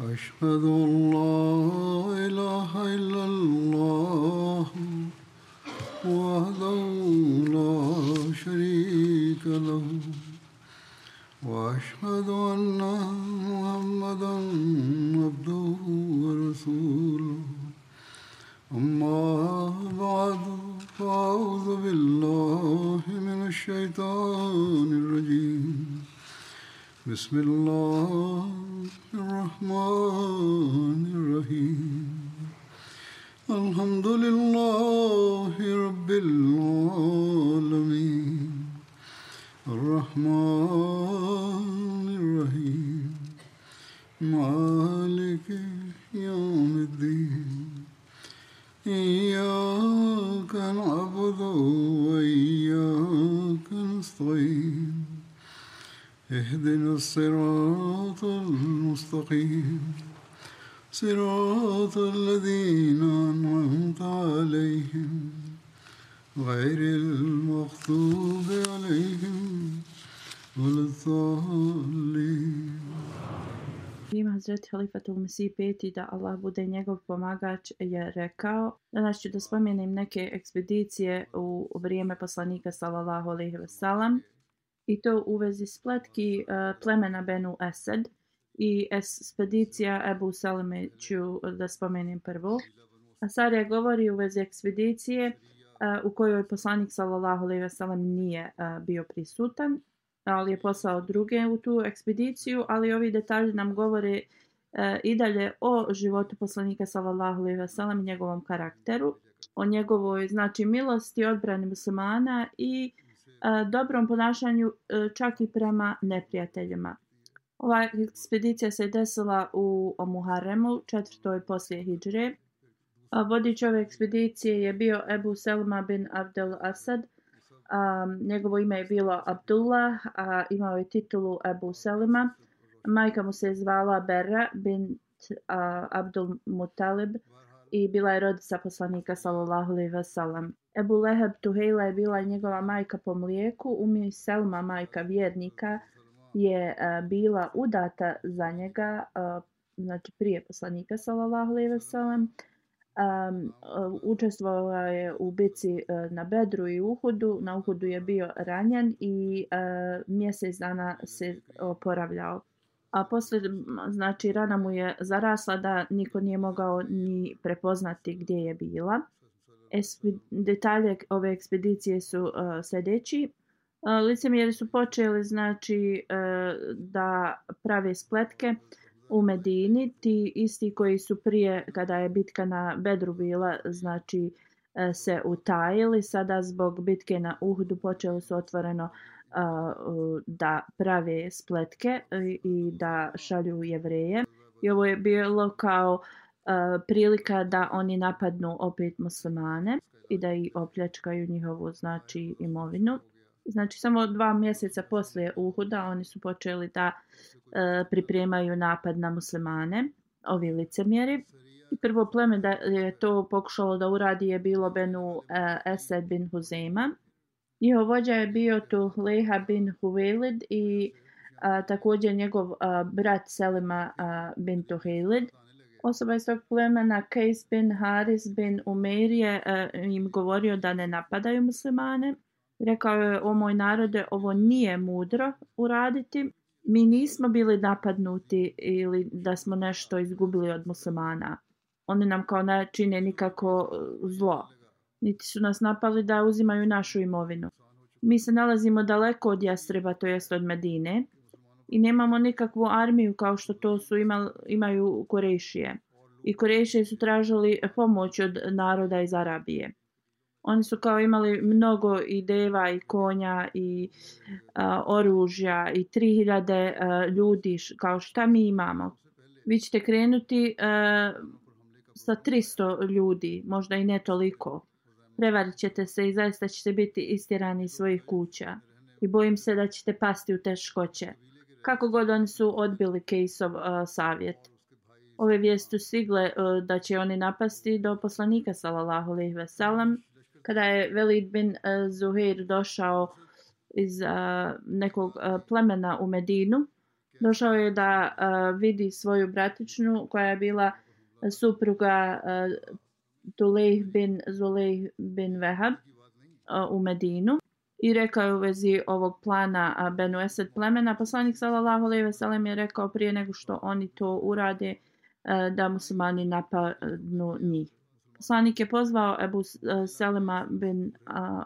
أشهد أن لا إله إلا الله وحده لا شريك له وأشهد أن محمدا عبده ورسوله أما بعد فأعوذ بالله من الشيطان الرجيم بسم الله الرحمن الرحيم الحمد لله رب العالمين الرحمن الرحيم مالك يوم الدين إياك نعبد وإياك نستعين اهدنا الصراط المستقيم صراط الذين أنعمت عليهم غير المغضوب عليهم ولا الضالين. Ima Hazreti Halifatul Mesih peti, da Allah bude njegov pomagač, je rekao: danas ću da spomenem neke ekspedicije u vrijeme poslanika sallallahu alejhi ve sellem, i to u vezi spletki plemena Benu Esed i ekspedicija Ebu Seleme ću da spomenem prvo. Asarija govori u vezi ekspedicije u kojoj poslanik sallallahu alejhi ve sellem nije bio prisutan, ali je poslao druge u tu ekspediciju, ali ovi detalji nam govore i dalje o životu poslanika sallallahu alejhi ve sellem i njegovom karakteru, o njegovoj milosti, odbrani muslimana i dobrom ponašanju čak i prema neprijateljima. Ova ekspedicija se desila u Muharremu, 4. poslije hidžre. Vodič ove ekspedicije je bio Ebu Selma bin Abdel Asad. Njegovo ime je bilo Abdullah, a imao je titulu Ebu Selma. Majka mu se zvala Berra bint Abdul Mutalib i bila je rodica poslanika sallallahu alejhi ve sellem. Ebu Leheb Tuhejla je bila njegova majka po mlijeku. Ummi Selma, majka vjernika, je bila udata za njega, znači prije poslanika sallallahu alejhi ve sellem. Učestvovala je u bici na Bedru i Uhudu. Na Uhudu je bio ranjen i mjesec dana se oporavljao. A poslije, rana mu je zarasla da niko nije mogao ni prepoznati gdje je bila. Detalje ove ekspedicije su sljedeći. Licemjeri su počeli da prave spletke u Medini, ti isti koji su prije, kada je bitka na Bedru bila, se utajili. Sada zbog bitke na Uhudu počeli su otvoreno da prave spletke i da šalju Jevreje. I ovo je bilo kao prilika da oni napadnu opet muslimane i da ih opljačkaju njihovu imovinu. Samo 2 mjeseca poslije Uhuda oni su počeli da pripremaju napad na muslimane, ovi licemjeri. I prvo pleme da je to pokušalo da uradi je bilo Benu Esed bin Huzeima. Njihov vođa je bio Tuhleha bin Huvelid i također njegov brat Selima bin Tuhejlid. Osoba iz tog plemena Kejs bin Haris bin Umeir je im govorio da ne napadaju muslimane. Rekao je: o moj narode, ovo nije mudro uraditi. Mi nismo bili napadnuti ili da smo nešto izgubili od muslimana. Oni nam kao ne čine nikako zlo. Niti su nas napali da uzimaju našu imovinu. Mi se nalazimo daleko od Jasreba, to jest od Medine, i nemamo nikakvu armiju kao što to imaju Kurejšije. I Kurejšije su tražili pomoć od naroda iz Arabije. Oni su kao imali mnogo i deva i konja i oružja i 3000 ljudi, kao šta mi imamo. Vi ćete krenuti sa 300 ljudi, možda i ne toliko. Prevarit ćete se i zaista ćete biti istjerani iz svojih kuća. I bojim se da ćete pasti u teškoće. Kako god oni su odbili Kejsov savjet. Ove vijesti su stigle da će oni napasti do poslanika sallallahu alejhi ve sellem. Kada je Velid bin Zuhair došao iz nekog plemena u Medinu, Došao je da vidi svoju bratičnu koja je bila supruga Tulejh bin Zulejh bin Vehab u Medinu i rekao je u vezi ovog plana Benu Esed plemena. Poslanik sallallahu alejhi ve sellem je rekao prije nego što oni to urade da muslimani napadnu njih. Poslanik je pozvao Ebu Selema bin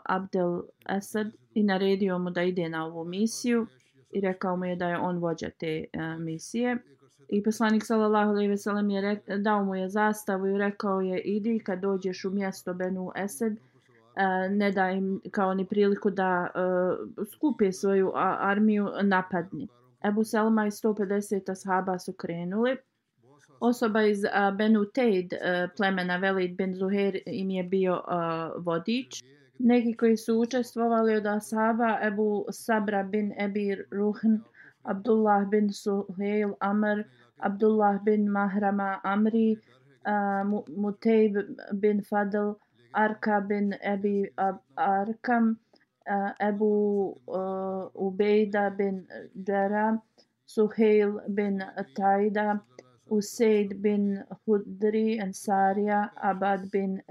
Abdel Esed i naredio mu da ide na ovu misiju i rekao mu je da je on vođa te misije. I poslanik sallallahu alejhi ve sellem je dao mu je zastavu i rekao je idi kad dođeš u mjesto Benu Esed, ne da im kao ni priliku da skupe svoju armiju, napadni. Ebu Selma i 150 ashaba su krenuli. Osoba iz Benu Tejd plemena Velid bin Zuhair im je bio vodič. Neki koji su učestvovali od ashaba Ebu Sabra bin Ebi Ruhn, Abdullah bin Suhail Amr, Abdullah bin Mahrama Amri, Mutejb bin Fadl, Arka bin Ebi Arkam, Ebu Ubejda bin Džera, Suhail bin Tajda, Usaid bin Hudri Ansarija, Abad bin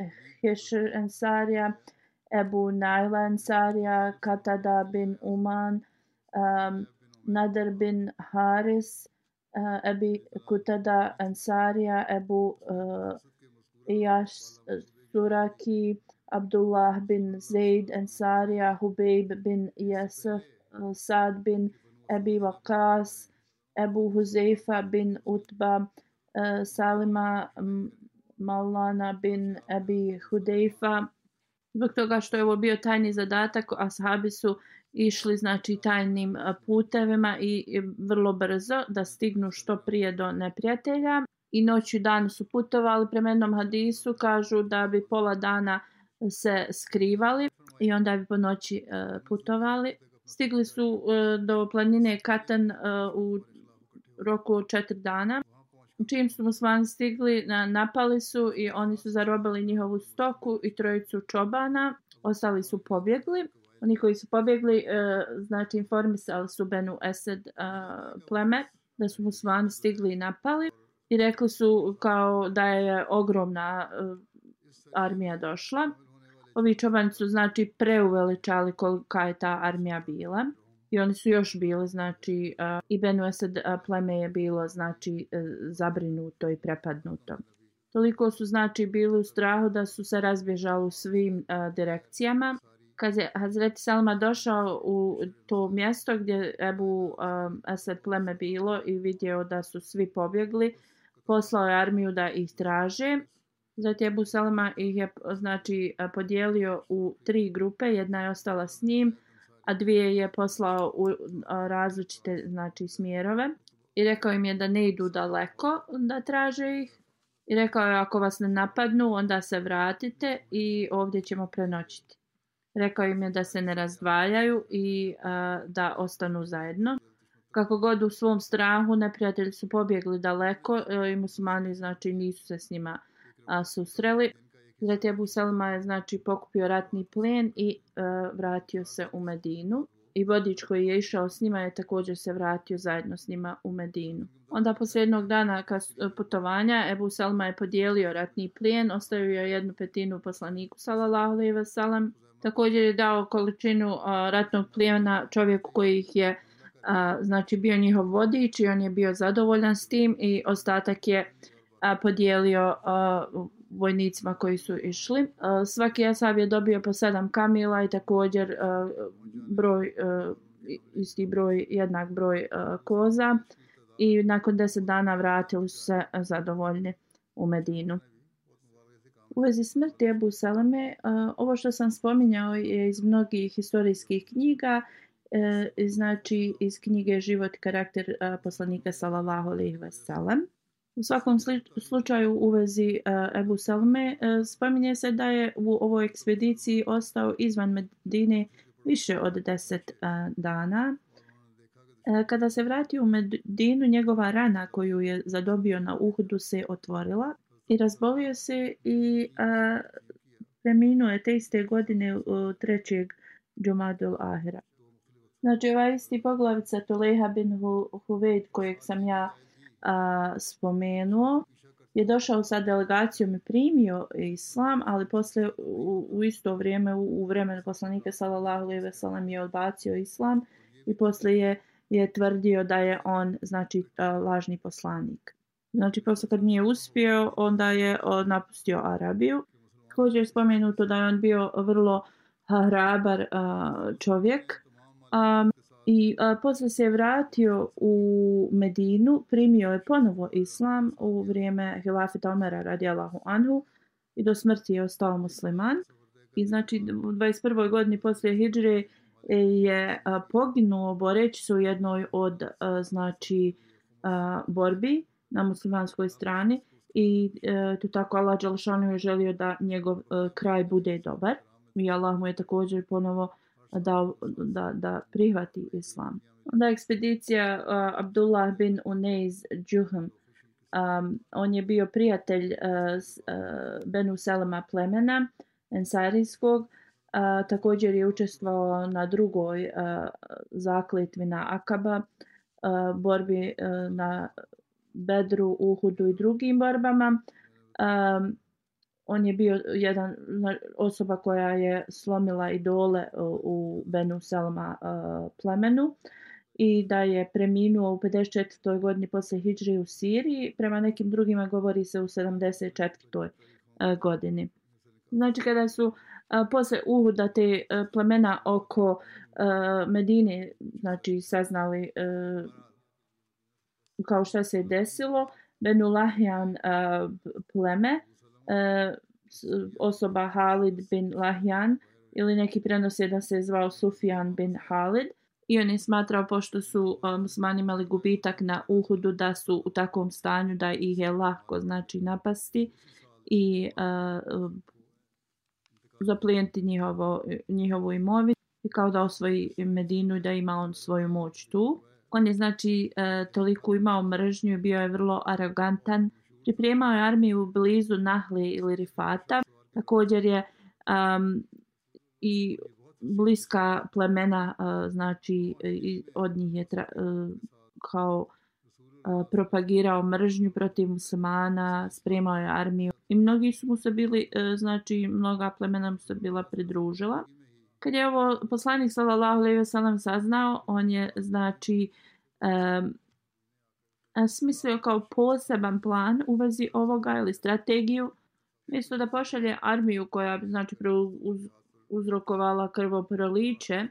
Hishr Ansarija, Ebu Naila Ansarija, Katada bin Uman, Nadar bin Haris, Ebi Kutada Ansarija, Ebu Iyash Suraki, Abdullah bin Zaid Ansarija, Hubejb bin Yasaf, Sad bin Ebi Waqas, Ebu Huzeifa bin Utba, Salima Maulana bin Ebi Hudejfa. Zbog toga što je ovo bio tajni zadatak, ashabi su išli znači tajnim putevima i vrlo brzo da stignu što prije do neprijatelja. I noću i dan su putovali. Prema jednom hadisu kažu da bi pola dana se skrivali i onda bi po noći putovali. Stigli su do planine Katan u roku od 4 dana. Čim su muslimani stigli, napali su i oni su zarobili njihovu stoku i trojicu čobana. Ostali su pobjegli. Oni koji su pobjegli, znači informisali su Benu Esed pleme da su muslimani stigli i napali. I rekli su kao da je ogromna armija došla. Ovi čobani su znači preuveličali kolika je ta armija bila. I oni su još bili, znači, i Benu Esed pleme je bilo, znači, zabrinuto i prepadnuto. Toliko su, znači, bili u strahu da su se razbježali u svim direkcijama. Kad je Hazreti Selma došao u to mjesto gdje Ebu Esed pleme bilo i vidio da su svi pobjegli, poslao je armiju da ih traže. Zatim Ebu Selma ih je, znači, podijelio u 3 grupe, jedna je ostala s njim, a 2 je poslao u različite, znači, smjerove. I rekao im je da ne idu daleko da traže ih. I rekao je ako vas ne napadnu, onda se vratite i ovdje ćemo prenoćiti. Rekao im je da se ne razdvajaju i da ostanu zajedno. Kako god u svom strahu, neprijatelji su pobjegli daleko i muslimani, znači, nisu se s njima susreli. Zatim Ebu Selma je, znači, pokupio ratni plijen i vratio se u Medinu. I vodič koji je išao s njima je također se vratio zajedno s njima u Medinu. Onda poslije jednog dana putovanja Ebu Selma je podijelio ratni plijen, ostavio je 1/5 poslaniku sallallahu alejhi ve sellem. Također je dao količinu ratnog plijena čovjeku koji ih je znači bio njihov vodič i on je bio zadovoljan s tim i ostatak je podijelio vojnicima koji su išli. Svaki ashab je dobio po 7 kamila i također isti broj, jednak broj koza i nakon 10 dana vratili su se zadovoljni u Medinu. U vezi smrti Ebu Seleme, ovo što sam spominjao je iz mnogih historijskih knjiga, znači iz knjige Život i karakter poslanika sallallahu alejhi ve sellem. U svakom slučaju u vezi Ebu Seleme spominje se da je u ovoj ekspediciji ostao izvan Medine više od 10 dana. Kada se vratio u Medinu, njegova rana koju je zadobio na Uhudu se otvorila i razbolio se i preminuo je te iste godine 3. Džumadul Ahira. Znači ovaj isti poglavica Tuleha bin Huveid kojeg sam ja spomenuo je došao sa delegacijom i primio islam, ali posle u isto vrijeme u vremenu poslanika sallallahu alejhi ve sellem je odbacio islam i posle je tvrdio da je on znači lažni poslanik. Znači posle kad nije uspio, onda je napustio Arabiju. Također je spomenuto da je on bio vrlo hrabar čovjek i posle se je vratio u Medinu, primio je ponovo islam u vrijeme hilafeta Omera radijallahu anhu i do smrti je ostao musliman. I znači u 21. godini poslije hidžre je poginuo boreći se u jednoj od borbi na muslimanskoj strani i tu tako Allah dželešanu je želio da njegov kraj bude dobar i Allah mu je također ponovo dao da prihvati islam. Onda ekspedicija Abdullah bin Unais Juhm, on je bio prijatelj Benu Selema plemena Ensarijskog, također je učestvovao na drugoj zakletvi na Akaba, borbi na Bedru, Uhudu i drugim borbama. On je bio jedan osoba koja je slomila idole u Benu Selema plemenu i da je preminuo u 54. godini posle hidžre u Siriji. Prema nekim drugima govori se u 74. godini. Znači kada su posle Uhuda te plemena oko Medine znači saznali kao što se desilo, Benu Lahjan pleme, osoba Halid bin Lahjan ili neki prenose da se zvao Sufjan bin Halid i on je smatrao pošto su muslimani imali gubitak na Uhudu da su u takvom stanju da ih je lako znači napasti i zaplijeniti njihovu imovinu i kao da osvoji Medinu i da ima on svoju moć tu. On je znači toliko imao mržnju i bio je vrlo arogantan. Pripremao je armiju blizu Nahle ili Rifata. Također je i bliska plemena znači od njih je kao propagirao mržnju protiv muslimana, spremao je armiju i mnogi su mu se bili znači mnoga plemena mu se bila pridružila. Kad je ovo poslanik sallallahu alejhi ve sellem saznao, on je znači smislio kao poseban plan u vezi ovoga ili strategiju. Mjesto da pošalje armiju koja bi znači uzrokovala krvoproliće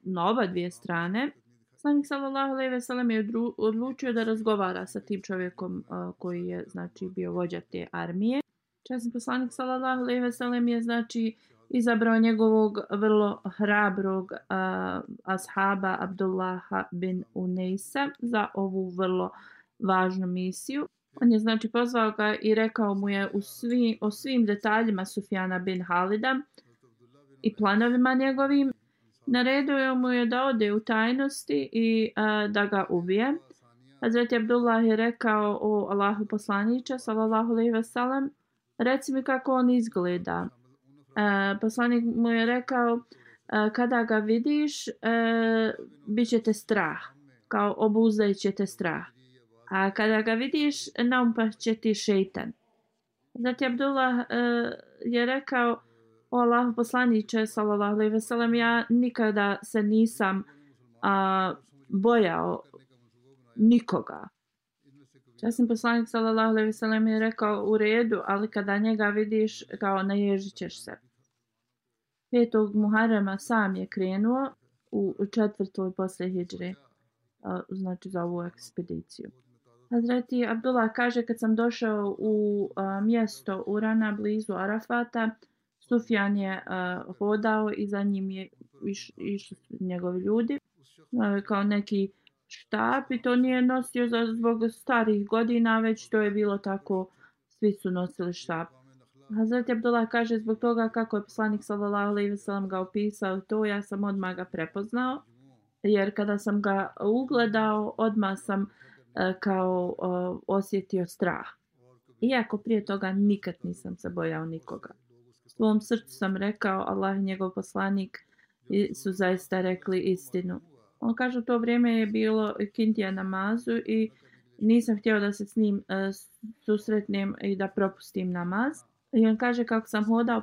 na oba dvije strane, poslanik sallallahu alejhi ve sellem je odlučio da razgovara sa tim čovjekom koji je znači bio vođa te armije. Časni poslanik sallallahu alejhi ve sellem je znači izabrao njegovog vrlo hrabrog ashaba Abdullaha bin Unaisa za ovu vrlo važnu misiju. On je znači pozvao ga i rekao mu je o svim detaljima Sufjana bin Halida i planovima njegovim. Naredio mu je da ode u tajnosti i da ga ubije. Hazreti Abdullah je rekao: o Allahu poslaniče sallallahu alejhi ve sellem, reci mi kako on izgleda. Poslanik mu je rekao: kada ga vidiš, bit će te strah, kao obuzdaj će te strah. A kada ga vidiš, naumpast će ti šejtan. Zatim Abdullah je rekao: o Allahu poslaniče sallallahu alejhi ve sellem, ja nikada se nisam bojao nikoga. Časni poslanik sallallahu alejhi ve sellem je rekao: u redu, ali kada njega vidiš, kao naježit ćeš se. 5. Muharrema sam je krenuo u 4. posle hidžre, znači za ovu ekspediciju. Hazreti Abdullah kaže: kad sam došao u mjesto Urana blizu Arafata, Sufjan je hodao i za njim je išli njegovi ljudi kao neki štab i to nije nosio zbog starih godina, već to je bilo tako, svi su nosili štab. Hazreti Abdullah kaže: zbog toga kako je poslanik sallallahu alejhi ve sellem ga opisao to, ja sam odmah ga prepoznao, jer kada sam ga ugledao odmah sam kao osjetio strah. Iako prije toga nikad nisam se bojao nikoga. U svom srcu sam rekao: Allah i njegov poslanik su zaista rekli istinu. On kaže u to vrijeme je bilo kindija namazu i nisam htio da se s njim susretnem i da propustim namaz. I on kaže kako sam hodao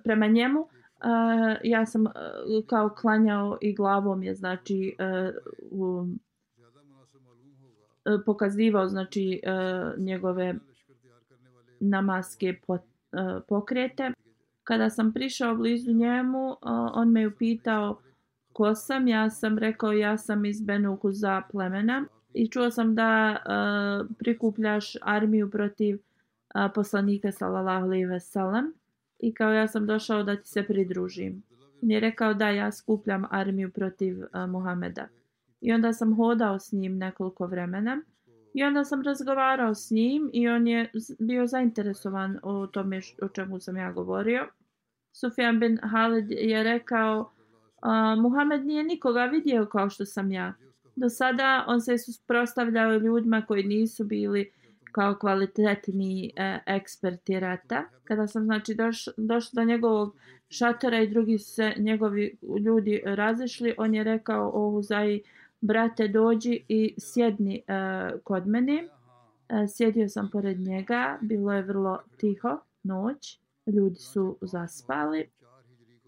prema njemu, ja sam kao klanjao i glavom je znači pokazivao znači njegove namaske pokrete. Kada sam prišao blizu njemu, on me upitao ko sam. Ja sam rekao ja sam iz Benu Huza plemena i čuo sam da prikupljaš armiju protiv poslanika sallallahu alejhi ve sellem i kao ja sam došao da ti se pridružim. On je rekao da ja skupljam armiju protiv Muhameda. I onda sam hodao s njim nekoliko vremena i onda sam razgovarao s njim i on je bio zainteresovan o tome o čemu sam ja govorio. Sufjan bin Halid je rekao Muhammed nije nikoga vidio kao što sam ja. Do sada on se suprotstavljao ljudima koji nisu bili kao kvalitetni eksperti rata. Kada sam znači došao do njegovog šatora i drugi se njegovi ljudi razišli, on je rekao o Huzai, brate dođi i sjedni kod mene. Sjedio sam pored njega, bilo je vrlo tiho, noć, ljudi su zaspali.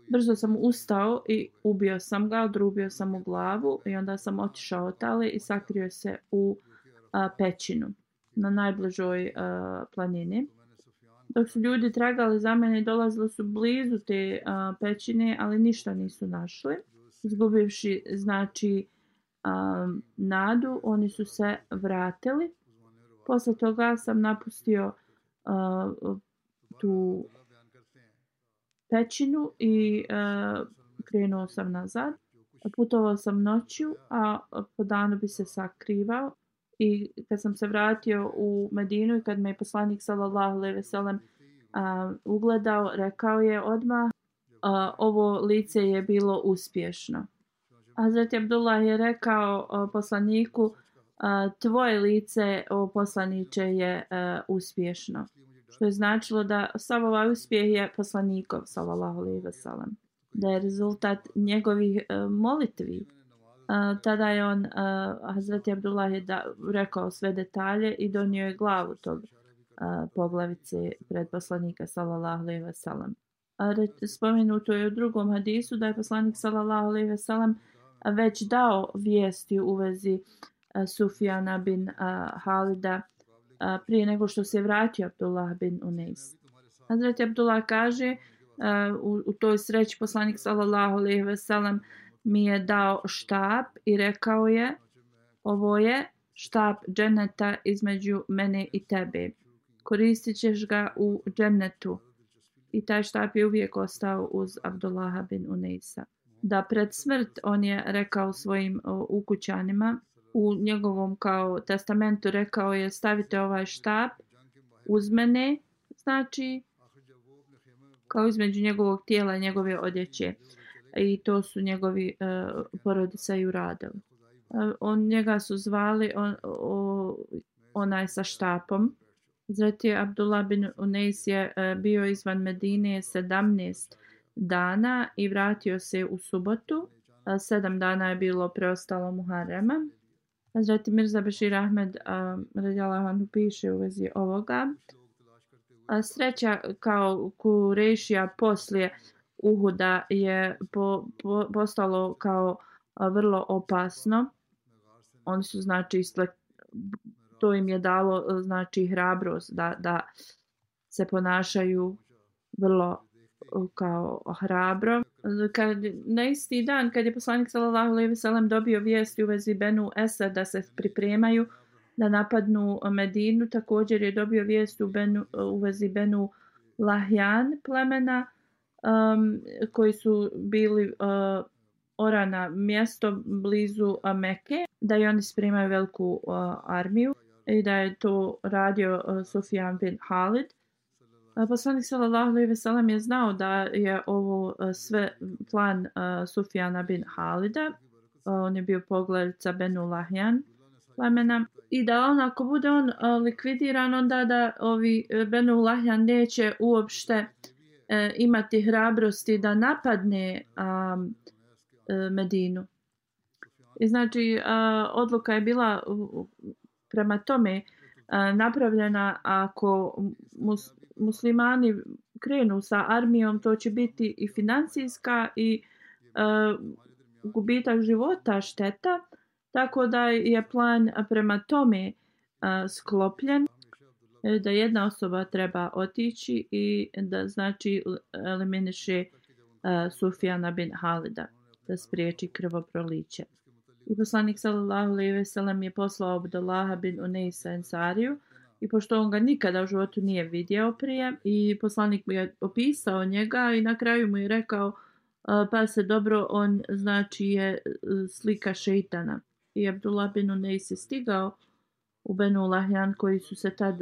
Brzo sam ustao i ubio sam ga, odrubio sam mu glavu i onda sam otišao otale i sakrio se u pećinu na najbližoj planini. Dok su ljudi tragali za mene i dolazili su blizu te pećine, ali ništa nisu našli. Izgubivši znači nadu, oni su se vratili. Posle toga sam napustio tu pećinu i krenuo sam nazad. Putovao sam noću, a po danu bi se sakrivao. I kad sam se vratio u Medinu i kad me je poslanik sallallahu alejhi ve sellem ugledao, rekao je odmah ovo lice je bilo uspješno. Hazreti Abdullah je rekao poslaniku tvoje lice o poslaniče je uspješno. Što je značilo da sav ovaj uspjeh je poslanikov sallallahu alejhi ve sellem. Da je rezultat njegovih molitvi. Tada je on, Hazreti Abdullah je rekao sve detalje i donio je glavu tog poglavice pred poslanika sallallahu alejhi ve sellem. Spomenuto je u drugom hadisu da je poslanik sallallahu alejhi ve sellem već dao vijesti u vezi Sufjana bin Halida prije nego što se vratio Abdullah bin Unais. Hazreti Abdullah kaže u toj sreći poslanik sallallahu alejhi ve sellem mi je dao štap i rekao je ovo je štap dženeta između mene i tebe. Koristit ćeš ga u džennetu. I taj štap je uvijek ostao uz Abdullaha bin Unaisa. Da pred smrt on je rekao svojim ukućanima, u njegovom kao testamentu rekao je stavite ovaj štap uz mene, znači kao između njegovog tijela i njegove odjeće. I to su njegovi porodica i uradili. Njega su zvali onaj sa štapom. Zreti Abdullah bin Unais je bio izvan Medine 17 dana i vratio se u subotu. 7 dana je bilo preostalo Muharrema. Hazreti Mirza Bešir Ahmed radijallahu anhu piše u vezi ovoga. Sreća kao Kurešija poslije Uhuda je postalo kao vrlo opasno. Oni su znači to im je dalo znači hrabrost da se ponašaju vrlo kao hrabro. Na isti dan kad je poslanik sallallahu alejhi ve sellem dobio vijesti u vezi Benu Esad da se pripremaju da napadnu Medinu, također je dobio vijest u vezi Benu Lahjan plemena koji su bili orana mjesto blizu Mekke, da i oni spremaju veliku armiju i da je to radio Sufjan bin Halid. Poslanik sallallahu alejhi ve sellem je znao da je ovo sve plan Sufjana bin Halida. On je bio poglavica Benu Lahjan plemena i da ako bude on likvidiran, onda da ovi Benu Lahjan neće uopšte imati hrabrosti da napadne Medinu. I znači odluka je bila prema tome napravljena ako muslimani krenu sa armijom, to će biti i financijska i gubitak života, šteta, tako da je plan prema tome sklopljen da jedna osoba treba otići i da znači eliminiše Sufjana bin Halida, da spriječi krvoproliće. I poslanik sallallahu alejhi ve sellem je poslao Abdullaha bin Unejsa Ensariju, i pošto on ga nikada u životu nije vidio prije, i poslanik mu je opisao njega i na kraju mu je rekao pa se dobro, on znači je slika šejtana. I Abdullah bin Unejs je stigao u Benu Lahjan koji su se tad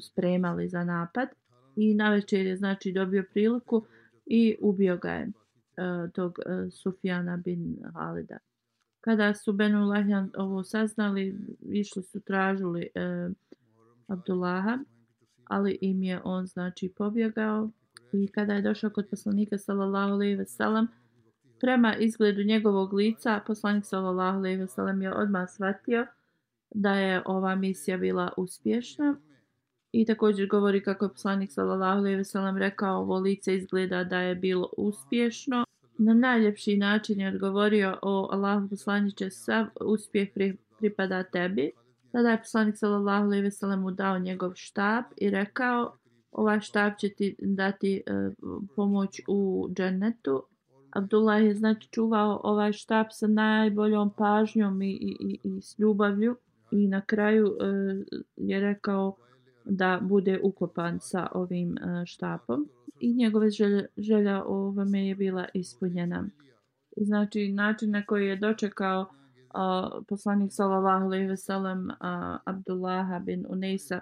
spremali za napad i navečer je znači dobio priliku i ubio ga je tog Sufjana bin Halida. Kada su Benu Lahjan ovo saznali, išli su tražili Abdullaha, ali im je on znači pobjegao. I kada je došao kod poslanika sallallahu alejhi ve sellem, prema izgledu njegovog lica, poslanik sallallahu alejhi ve sellem je odmah shvatio da je ova misija bila uspješna. I također govori kako je poslanik sallallahu alejhi ve sellem rekao, ovo lice izgleda da je bilo uspješno. Na najljepši način je odgovorio, o Allahu poslaniče, sav uspjeh pripada tebi. Tada je poslanik sallallahu alejhi ve sellem mu dao njegov štap i rekao, ovaj štap će ti dati pomoć u džennetu. Abdullah je znači čuvao ovaj štap sa najboljom pažnjom i s ljubavlju i na kraju je rekao da bude ukopan sa ovim štapom i njegove želja ovome je bila ispunjena. I znači način na koji je dočekao poslanik sallallahu alejhi ve sellem Abdullaha bin Unejsa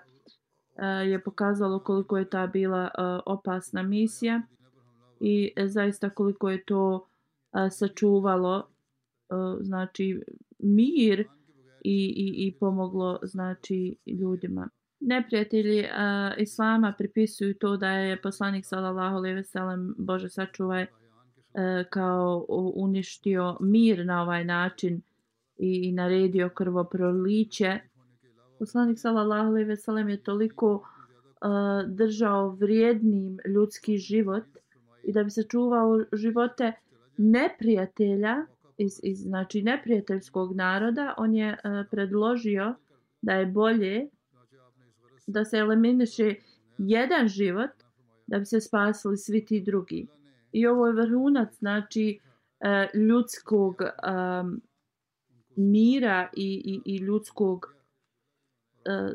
je pokazalo koliko je ta bila opasna misija i zaista koliko je to sačuvalo znači mir i pomoglo znači ljudima. Neprijatelji islama pripisuju to da je poslanik sallallahu alejhi ve sellem, Bože sačuvaj, kao uništio mir na ovaj način i naredio krvoproliće. Poslanik sallallahu alejhi ve sellem je toliko držao vrijednim ljudski život i da bi sačuvao živote neprijatelja iz znači neprijateljskog naroda, on je predložio da je bolje da se eliminiše jedan život da bi se spasili svi ti drugi. I ovo je vrhunac znači ljudskog mira i ljudskog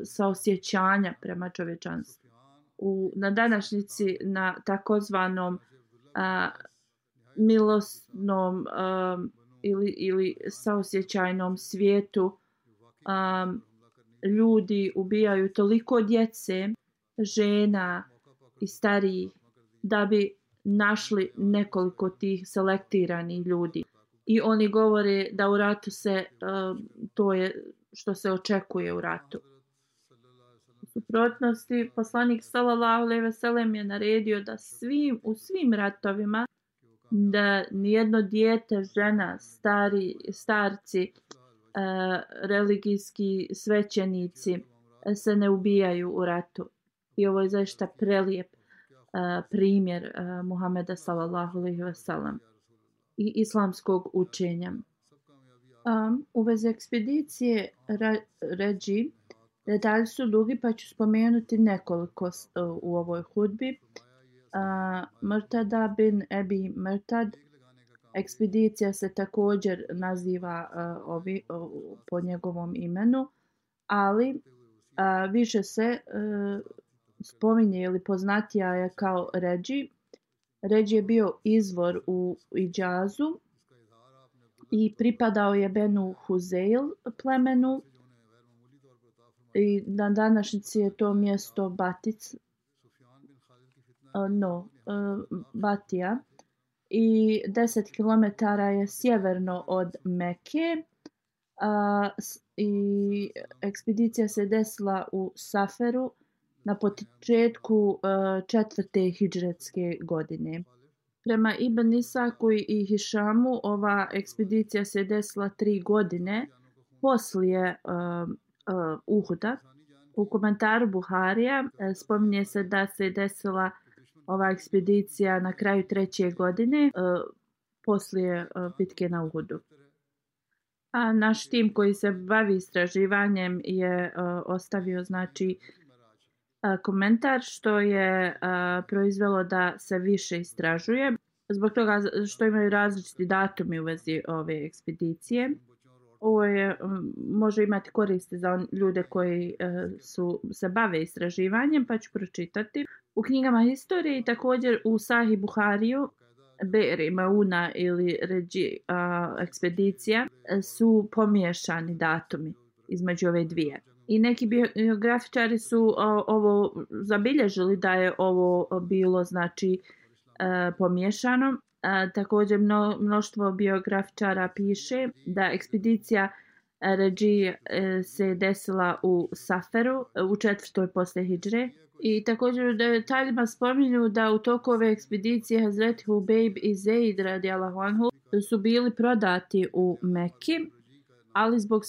saosjećanja prema čovječanstvu. Na današnjici na takozvanom milosnom ili saosjećajnom svijetu ljudi ubijaju toliko djece, žena i starijih da bi našli nekoliko tih selektiranih ljudi. I oni govore da u ratu se to je što se očekuje u ratu. U suprotnosti, poslanik sallallahu alejhi ve sellem je naredio da u svim ratovima da nijedno dijete, žena, starci, religijski svećenici se ne ubijaju u ratu. I ovo je zaista prelijep primjer Muhameda sallallahu alejhi ve sellem i islamskog učenja. U vezi ekspedicije Ređi detalji su dugi, pa ću spomenuti nekoliko u ovoj hudbi. Murtada bin Ebi Murtad, ekspedicija se također naziva po njegovom imenu, ali više se spominje ili poznatija je kao Ređi. Ređi je bio izvor u Idžazu i pripadao je Benu Huzejl plemenu i na današnjici je to mjesto Batija i 10 km je sjeverno od Mekke i ekspedicija se desila u Saferu na početku 4. hidžretske godine. Prema Ibn Isaku i Hišamu ova ekspedicija se desila 3 godine poslije Uhuda. U komentaru Buharija spominje se da se desila ova ekspedicija na kraju 3. godine poslije bitke na Uhudu. A naš tim koji se bavi istraživanjem je ostavio znači komentar što je proizvelo da se više istražuje zbog toga što imaju različiti datumi u vezi ove ekspedicije. Ovo je, može imati koristi za ljude koji se bave istraživanjem, pa ću pročitati. U knjigama historije i također u Sahih Buhariju Be'ri Mauna ili Ređi ekspedicija su pomiješani datumi između ove dvije. I neki biografičari su ovo zabilježili da je ovo bilo znači pomiješano. Također mnoštvo biografičara piše da ekspedicija Ređi se desila u Saferu u 4. poslije hidžre. I također u detaljima spominju da u toku ove ekspedicije Hazreti Hubejb i Zeid radijallahu anhu su bili prodati u Meki, ali zbog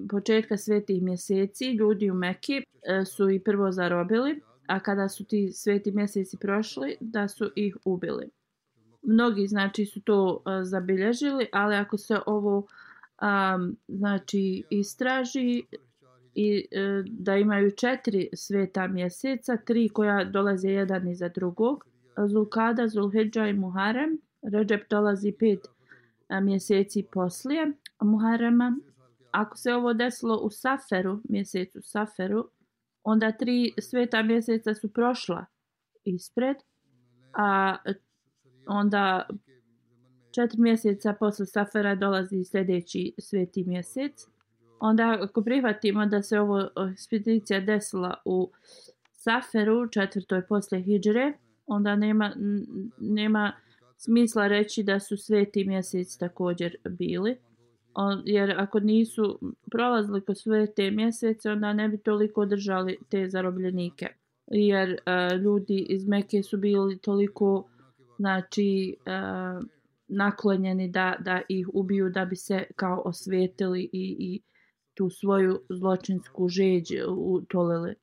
početka svetih mjeseci ljudi u Meki su ih prvo zarobili, a kada su ti sveti mjeseci prošli da su ih ubili. Mnogi znači su to zabilježili, ali ako se ovo znači istraži i da imaju 4 sveta mjeseca, 3 koja dolaze jedan iza drugog, Zulkada, Zulhidža i Muharem. Redžep dolazi 5 mjeseci poslije Muharema. Ako se ovo desilo u Saferu, mjesecu Saferu, onda 3 sveta mjeseca su prošla ispred, a onda 4 mjeseca posle Safera dolazi sljedeći sveti mjesec. Onda ako prihvatimo da se ovo ekspedicija desila u Saferu 4. poslije hidžre, onda nema smisla reći da su sveti mjeseci također bili. Jer ako nisu prolazili kroz svete mjesece, onda ne bi toliko držali te zarobljenike. Jer ljudi iz Mekke su bili toliko znači naklonjeni da ih ubiju da bi se kao osvetili i tu svoju zločinsku žeđ utolili.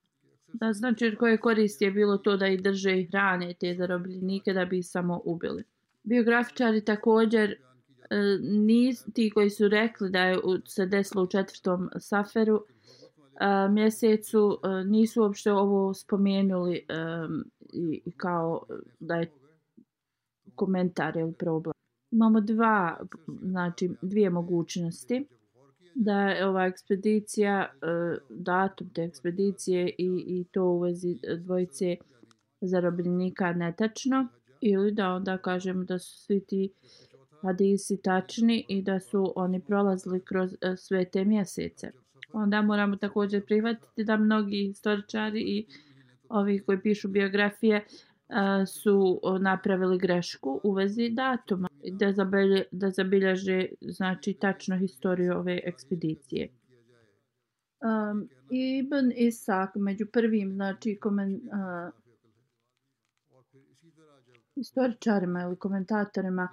Da, znači koje koristi je bilo to da ih drže i hrane te zarobljenike da bi ih samo ubili. Biografičari također ti koji su rekli da je se desilo u 4. Saferu mjesecu nisu uopšte ovo spomenuli i kao da je komentar ili problem. Imamo dvije mogućnosti da je ova ekspedicija, datum te ekspedicije i to u vezi dvojice zarobljenika netačno, ili da onda kažemo da su svi ti hadisi tačni i da su oni prolazili kroz sve te mjesece. Onda moramo također prihvatiti da mnogi historičari i ovi koji pišu biografije su napravili grešku u vezi datuma da zabilježe znači tačno historiju ove ekspedicije. Ibn Isak među prvim znači historičarima ili komentatorima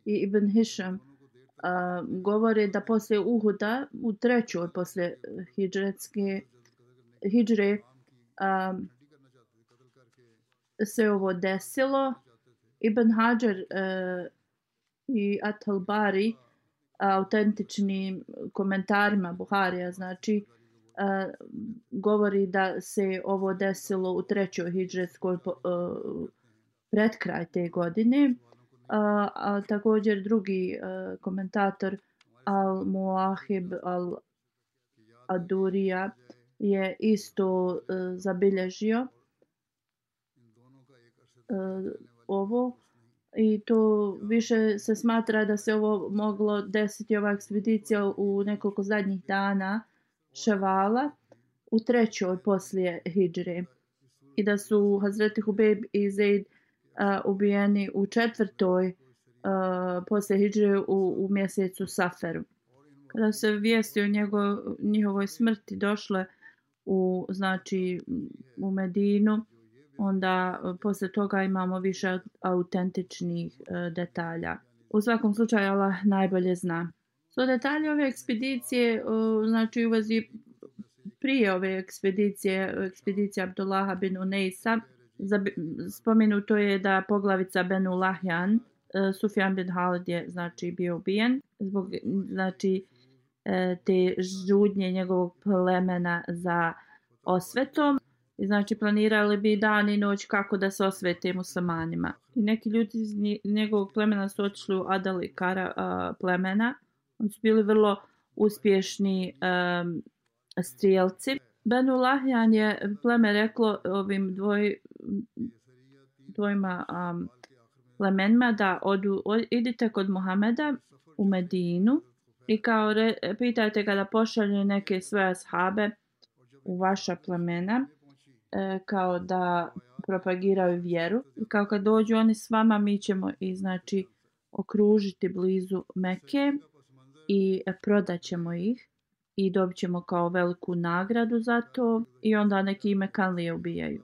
i Ibn Hišam govore da poslije Uhuda u 3. poslije hidžre se ovo desilo. Ibn Hajar i At-Talbari autentičnim komentarima Buharija znači govori da se ovo desilo u 3. hidžretskoj pred kraj te godine. A također drugi komentator Al-Muahib Al-Adurija je isto zabilježio ovo i to više se smatra da se ovo moglo desiti ova ekspedicija u nekoliko zadnjih dana Ševala u 3. poslije hidžre i da su Hazreti Hubejb i Zeid ubijeni u 4. poslije hidžre u mjesecu Saferu. Kada se vijesti o njihovoj smrti došle u Medinu, onda posle toga imamo više autentičnih detalja. U svakom slučaju Allah najbolje zna. So detalje ove ekspedicije, znači u vezi prije ove ekspedicija Abdullaha bin Uneisa, spomenuto je da poglavica Benu Lahjan, Sufjan bin Halid je znači bio ubijen zbog znači te žudnje njegovog plemena za osvetom. I znači planirali bi dan i noć kako da se osvete muslimanima. I neki ljudi iz njegovog plemena su otišli u Adal i Kara plemena. Oni su bili vrlo uspješni strijelci. Benu Lahjan je pleme reklo ovim dvojima plemenima da idite kod Muhameda u Medinu i kao pitajte ga da pošalje neke svoje ashabe u vaša plemena kao da propagiraju vjeru. I kao kad dođu oni s vama, mi ćemo i znači okružiti blizu Mekke i prodat ćemo ih i dobit ćemo kao veliku nagradu za to i onda neki Mekanlije ubijaju.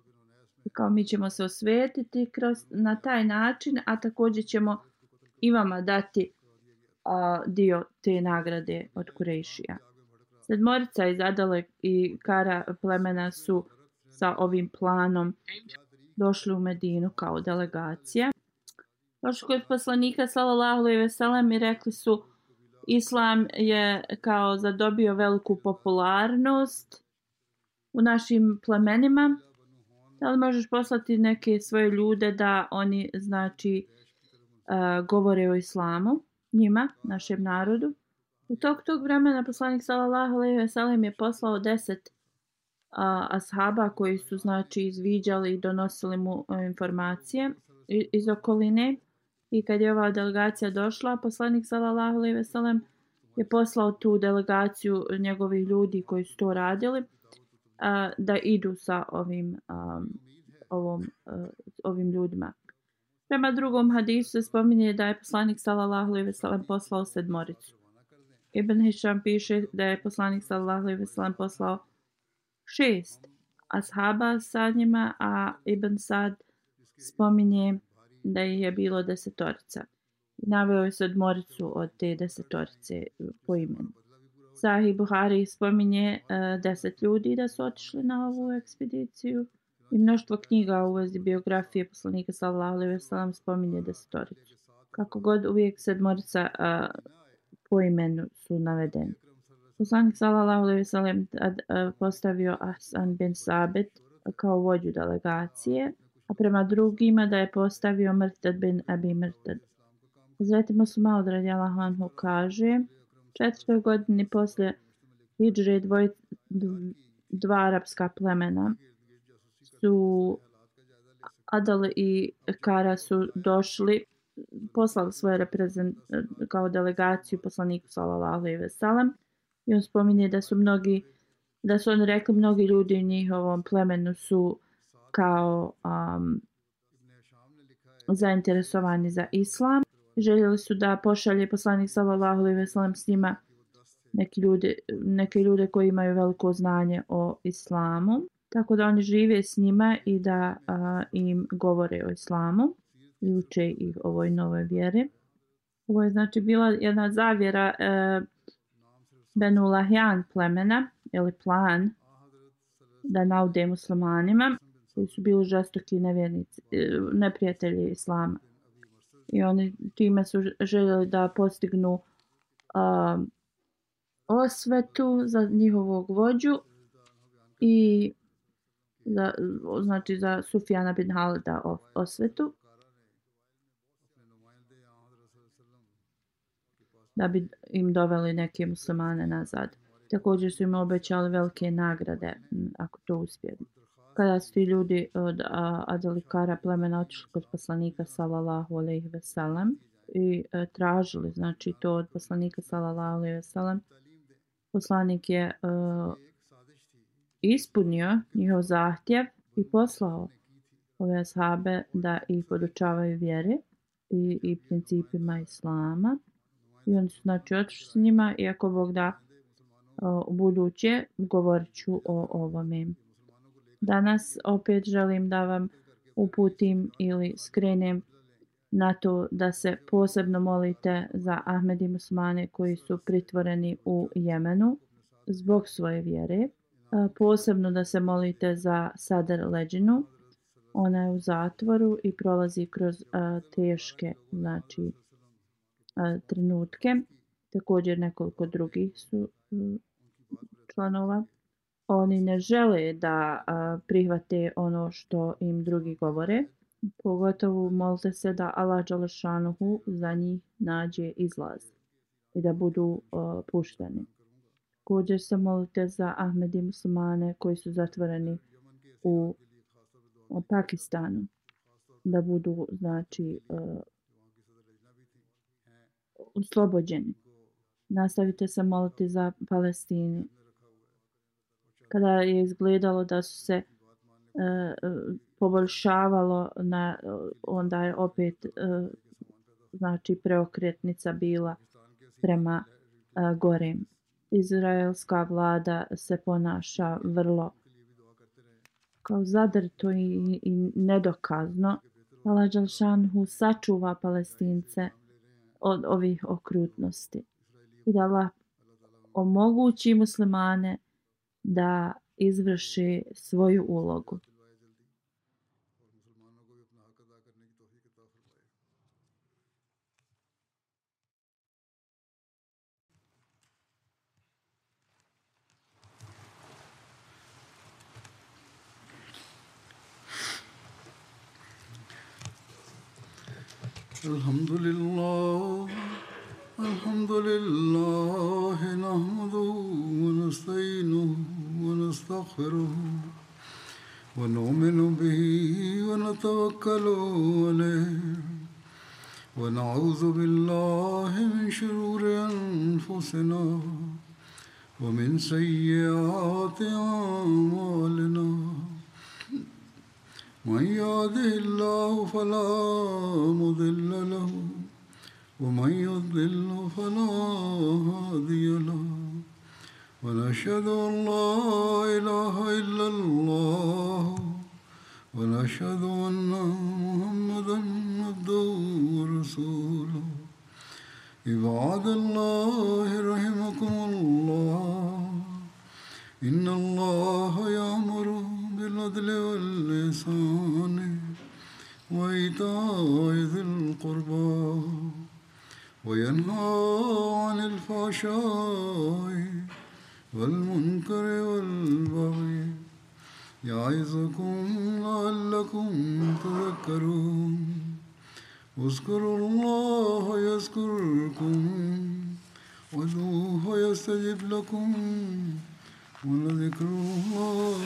I kao mi ćemo se osvetiti na taj način, a također ćemo i vama dati dio te nagrade od Kurejšija. Sedmorica iz Adale i Kara plemena su sa ovim planom došli u Medinu kao delegacija. Došli kod poslanika sallallahu alejhi ve sellem i rekli su Islam je kao zadobio veliku popularnost u našim plemenima. Da li možeš poslati neke svoje ljude da oni znači govore o islamu njima, našem narodu? U tog vremena poslanik sallallahu alejhi ve sellem je poslao 10 ashaba koji su znači izviđali i donosili mu informacije iz okoline. I kad je ova delegacija došla, poslanik sallallahu alejhi ve sellem je poslao tu delegaciju njegovih ljudi koji su to radili da idu sa ovim ljudima. Prema drugom hadisu se spominje da je poslanik sallallahu alejhi ve sellem poslao sedmoricu. Ibn Hišam piše da je poslanik sallallahu alejhi ve sellem poslao 6 ashaba sa njima, a Ibn Sad spominje da je bilo 10. Naveo je sedmoricu od te 10 po imenu. Sahih Buhari spominje 10 ljudi da su otišli na ovu ekspediciju i mnoštvo knjiga u vezi biografije poslanika sallallahu alejhi ve sellem spominje 10. Kako god, uvijek sedmorica po imenu su navedeni. Poslanik sallallahu alejhi ve sellem postavio Hasan bin Sabit kao vođu delegacije, a prema drugima da je postavio Mrtad bin Abi Mrtad. Hazreti Muslima radijallahu anhu kaže, 4. godini poslije hidžre dva arapska plemena su Adal i Kara su došli, poslali svoje kao delegaciju poslaniku sallallahu alejhi ve sellem i on spominje da su oni rekli mnogi ljudi u njihovom plemenu su kao zainteresovani za islam. Željeli su da pošalje poslanik sallallahu alejhi ve sellem s njima neke ljude koji imaju veliko znanje o islamu, tako da oni žive s njima i da im govore o islamu i uče ih ovoj novoj vjeri. Ovo je znači bila jedna zavjera Benu Lahjan plemena ili plan da naude muslimanima koji su bili žestoki nevjernici, neprijatelji islama. I oni time su željeli da postignu osvetu za njihovog vođu i za Sufjana bin Halida osvetu, da bi im doveli neke muslimane nazad. Također su im obećali velike nagrade ako to uspiju. Kada su ti ljudi od Adal i Kara plemena otišli kod poslanika sallallahu alejhi ve sellem i tražili znači to od poslanika sallallahu alejhi ve sellem, poslanik je ispunio njihov zahtjev i poslao ove ashabe da ih podučavaju vjeri i principima islama. I oni su znači otišli s njima i ako Bog da u buduće govorit ću o ovome. Danas opet želim da vam uputim ili skrenem na to da se posebno molite za Ahmedi muslimane koji su pritvoreni u Jemenu zbog svoje vjere. Posebno da se molite za Sadr Leđinu. Ona je u zatvoru i prolazi kroz teške trenutke. Također nekoliko drugih su članova. Oni ne žele da prihvate ono što im drugi govore. Pogotovo molite se da Allah dželešanuhu za njih nađe izlaz i da budu pušteni. Također se molite za Ahmedi muslimane koji su zatvoreni u Pakistanu, da budu oslobođeni. Nastavite se moliti za Palestinu. Kada je izgledalo da su se poboljšavalo, onda je opet preokretnica bila prema gore. Izraelska vlada se ponaša vrlo kao zadrto i nedokazno. Allah dželšanhu sačuva Palestince od ovih okrutnosti i da Allah omogući muslimane da izvrše svoju ulogu. Alhamdulillah, nahmaduhu wa nasta'inuhu wa nastaghfiruhu wa nu'minu bihi wa natawakkalu alayhi wa na'udhu billahi min shururi anfusina wa min sayyiati a'malina. من يهده الله فلا مضل له ومن يضلل فلا هادي له ونشهد أن لا إله إلا الله ونشهد أن محمدا عبده ورسوله. عباد الله رحمكم الله إن الله يأمر بالعدل والإحسان وإيتاء ذي القربى وينهى عن الفحشاء والمنكر والبغي يعظكم لعلكم تذكرون. اذكروا الله يذكركم وادعوه يستجب لكم ولذكر الله